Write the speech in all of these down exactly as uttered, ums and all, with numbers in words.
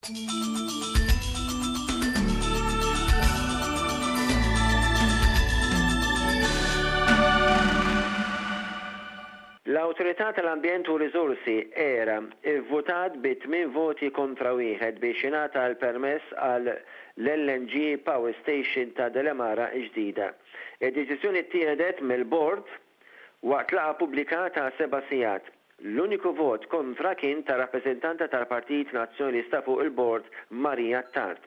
L-Awtorità tal-Ambjent u Riżorsi, ERA, ivvutat bi tmien voti kontra wieħed biex jingħata l-permess għal l-L N G Power Station ta' Delimara ġdida. Id-deċiżjoni ttieħdet mill-bord waqt laqgħa pubblika ta' seba' sigħat. L-uniku vot kontra kien ta' rappreżentanta tal-Partit Nazzjonalista fuq il-bord, Maria Attard.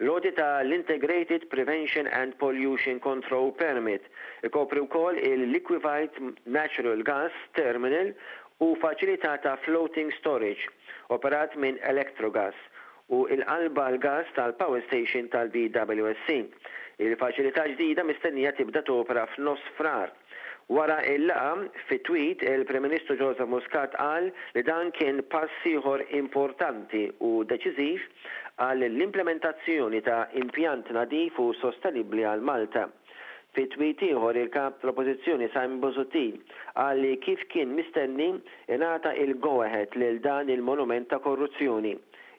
L-għoti tal-Integrated Prevention and Pollution Control Permit ikopri wkoll il-Liquefied Natural Gas Terminal u faċilità ta' floating storage operat minn Electrogas u il-qalba l-gas tal-Power Station tal-B W S C. Il-faċilità ġdida mistennija tibda topera f'nofs Frar. Wara il-laqgħa, fi tweet, il-Prim Ministru Joseph Muscat qal li dan kien pass ieħor importanti u deċiżiv għal l-implementazzjoni ta' impjant nadif u sostenibbli għal Malta. Fi tweet ieħor, il-kap tal-Oppożizzjoni Simon Busuttil qal li kif kien mistenni ingħata il-go-ahead lil dan il-monument ta' korruzzjoni.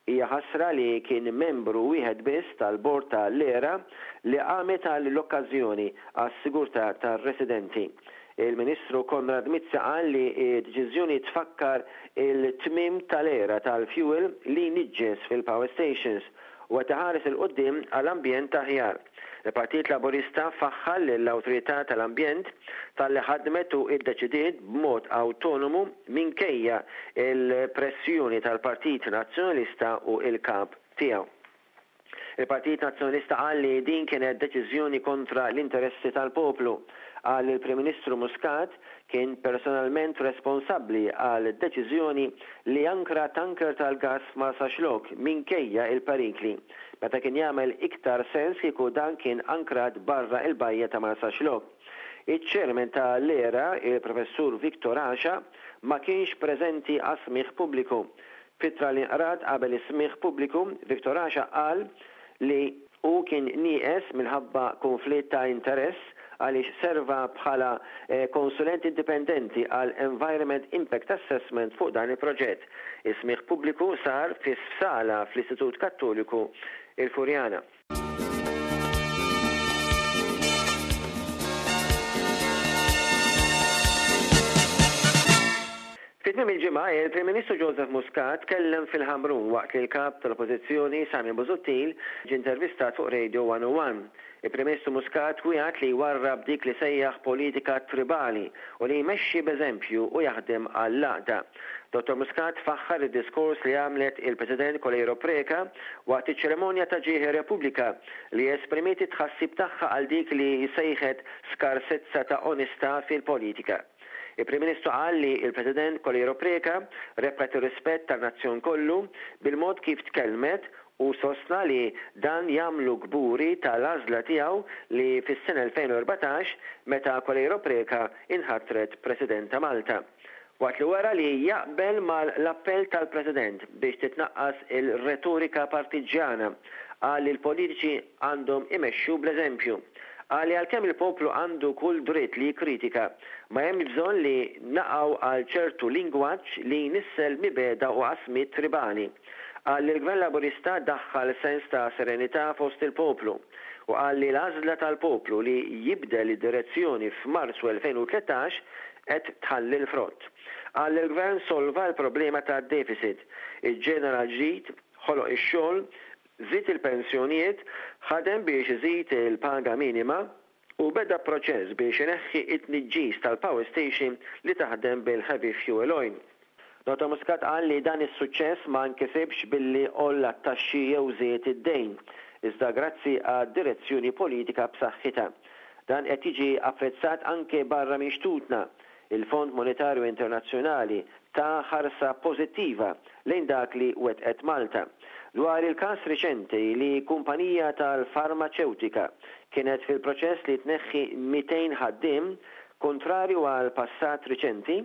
Hija ħasra li kien membru wieħed biss tal-bord tal-ERA li qamet għall-okkażjoni għas-sigurtà tar-residenti. Il-Ministru Konrad Mizzi qal li d-deċiżjoni tfakkar il-tmiem tal-era tal-fuel li niġġes fil-power stations u qed iħares 'il quddiem għall-ambjent aħjar. Il-Partit Laburista faħħar lill-Awtorità tal-Ambjent talli ħadmet u iddeċidiet b'mod autonomu minkejja il-pressjoni tal-Partit Nazzjonalista u il-kap tiegħu. Il-Partit Nazzjonalista qal li din kienet deċiżjoni kontra l-interessi tal-poplu. Qal li l-Prim Ministru Muscat kien personalment responsabbli għal deċiżjoni li ankra tanker tal-gas Marsaxlokk minkejja il-perikli, meta kien jagħmel iktar sens kieku dan kien ankrat barra il-bajja ta' Marsaxlokk. Iċ-chairman ta' l-ERA, il-Professur Victor Asha, ma kienx preżenti għas-smigħ pubbliku. F'ittra li nqrat qabel is-smigħ pubbliku, Victor Asha qal li hu kien nieqes minħabba konflitt ta' interess għaliex serva bħala eh, konsulent indipendenti għal Environment Impact Assessment fuq dan il-proġett. Is-smigħ pubbliku sar fi sala fl-Istitut Kattoliku il-Furjana. Fi tmiem il-ġimgħa, il-Prim Ministru Joseph Muscat kellem fil-Ħamrun waqt li l-kap tal-Oppożizzjoni Simon Busuttil ġie intervistat fuq Radio one oh one. Il-Prim Ministru Muscat wiegħed li jwarrab dik li sejjaħ politika tribali u li jmexxi b'eżempju u jaħdem għall-għaqda. Dottor Muscat faħħar id-diskors li għamlet il-President Coleiro Preca waqt iċ-ċerimonja ta' ġieħ Repubblika, li esprimiet it-tħassib tagħha għal dik li sejħet skarsezza ta' onestà fil-politika. Il-Prim Ministru qal li il-President Coleiro Preca rebħet ir-rispett tan-nazzjon kollu bil-mod kif tkellmet u sostna li dan jagħmlu kburi tal-għażla tiegħu li fis-sena elfejn u erbatax meta Coleiro Preca inħatret President ta' Malta. Waqt li wara li jaqbel mal-appell tal-President biex titnaqqas il-retorika partiġjana, qal li l-politiċi għandhom imexxu bl-eżempju. Qal li għalkemm il-poplu għandu kull dritt li jikkritika, ma hemm bżonn li naqgħu għal ċertu lingwaġġ li jnissel mibegħda u qasmiet tribali. Qal li l-Gvern Laburista daħħal sens ta' serenità fost il-poplu u qal li l-għażla tal-poplu li jibdel id-direzzjoni f'Marzu elfejn u tlettax qed tħalli l-frott. Qal li l-Gvern solva l-problema ta' deficit, iġġenera ġid, ħoloq ix-xogħol, żied il-pensjonijiet, ħadem biex iżid il-paga minima u beda proċess biex ineħħi it-tniġġis tal-power station li taħdem bil-heavy fuel oil. Dottor Muscat qal li dan is-suċċess ma nkisibx billi għolla t-taxxi jew żied id-dejn, iżda grazzi għad direzzjoni politika b'saħħitha. Dan qed jiġi apprezzat anke barra minn xtutna. Il-Fond Monetarju Internazzjonali ta ħarsa pożittiva lejn dak li wetqet Malta. Dwar il-każ riċenti li kumpanija tal-farmaċewtika kienet fil-proċess li tneħħi mitejn ħaddiem, kontrarju għal passat riċenti,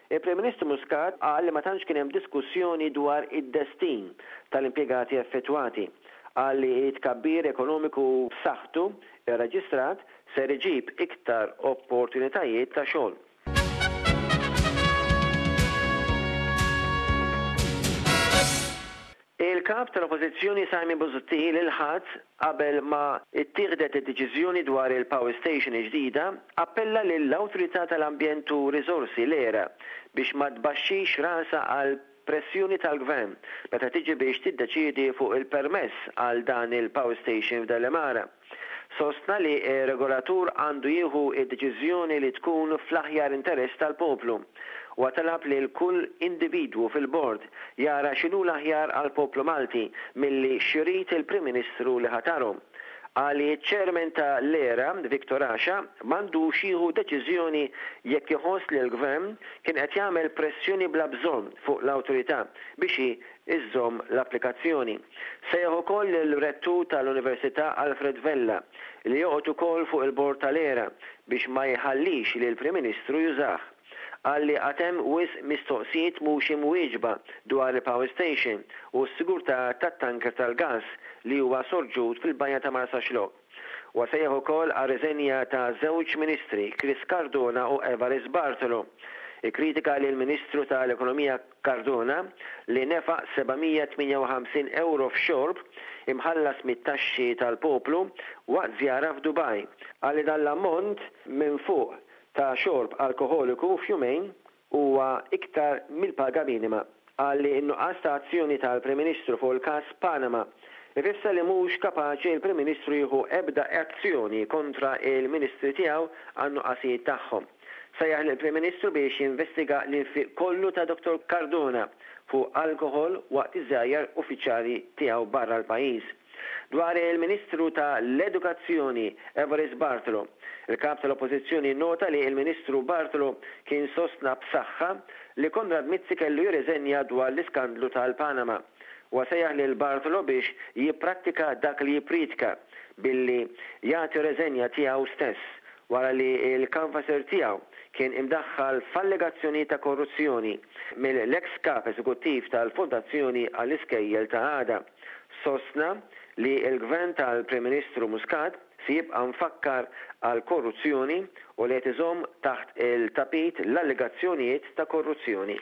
il-Prim Ministru Muscat qal li ma tantx kien hemm diskussjoni dwar id-destin tal-impjegati effettwati. Qal li tkabbir ekonomiku b'saħħtu irreġistrat ser iġib iktar opportunitajiet ta' xogħol. Il-Kap tal-Oppożizzjoni Simon Busuttil, il-Ħadd qabel ma ittieħdet id-deċiżjoni dwar il-Power Station ġdida, appella lill-Awtorità tal-Ambjent u Riżorsi, l-ERA, biex ma tbaxxix rasa għal pressjoni tal-gvern meta tiġi biex tiddeċiedi fuq il-permess għal dan il-power station f'Delimara. Sostna li regolatur għandu jieħu id-deċiżjoni li tkun fl-aħjar interess tal-poplu u talab li l-kull individwu fil-bord jara x'inhu l-aħjar għal poplu Malti milli x'irid il-Prim Ministru li ħataru. Qal li ċ-chairman ta' l-ERA, Victor Asha, m'għandux jieħu deċiżjoni jekk iħoss li l-gvern kien qed jagħmel pressjoni bla bżonn fuq l-awtorità biex iżżomm l-applikazzjoni. Sejjaħ ukoll il-rettur tal-Università Alfred Vella, li joqgħod ukoll fuq il-bord tal-ERA, biex ma jħallix li l-Prim Ministru jużah. Qal li għad hemm wisq mistoqsijiet mhux imwieġba dwar il-power station u s-sigurtà tat-tanker tal-gas li huwa sorġut fil-bajja ta' Marsaxlokk. Huwa sejjaħ ukoll għar-riżenja ta' żewġ ministri, Chris Cardona u Evarist Bartolo. Ikkritika lill-Ministru tal-Ekonomija Cardona li nefaq seba' mija u tmienja u ħamsin euro f'xorb imħallas mit-taxxi tal-poplu waqt żjara f'Dubaj. Qal li dan l-ammont minn fuq ta' xorb alkoholiku f'jumejn huwa iktar mill-paga minima. Qal li n-nuqqas ta' azzjoni tal-Prim Ministru fuq il-każ Panama ifisser li mhux kapaċi il-Prim Ministru jieħu ebda azzjoni kontra il-Ministri tiegħu għan-nuqqasijiet tagħhom. Sejjaħ lill-Prim Ministru biex jinvestiga l-infiq kollu ta' Doktor Cardona fuq alkohol waqt iż-żjajjar uffiċjali tiegħu barra l-pajjiż. Dwar il-Ministru ta' l-Edukazzjoni Evarist Bartolo, il-kap tal-Oppożizzjoni nota li il-Ministru Bartolo kien sostna b'saħħa li Konrad Mizzi kellu jirriżenja dwar l-iskandlu tal-Panama. U sejjaħ lil Bartolo biex jipprattika dak li jippriedka billi jagħti reżenja tiegħu stess wara li il-kanvasser tiegħu kien imdaħħal f'allegazzjoni ta' korruzzjoni mill-ex kap eżekuttiv tal-Fondazzjoni għall-Iskejjel ta' Għada. Sostna li il-gvern tal-Prim Ministru Muscat si jibqa' mfakkar għal korruzzjoni u li qed iżomm taħt il-tapit l-allegazzjonijiet ta' korruzzjoni.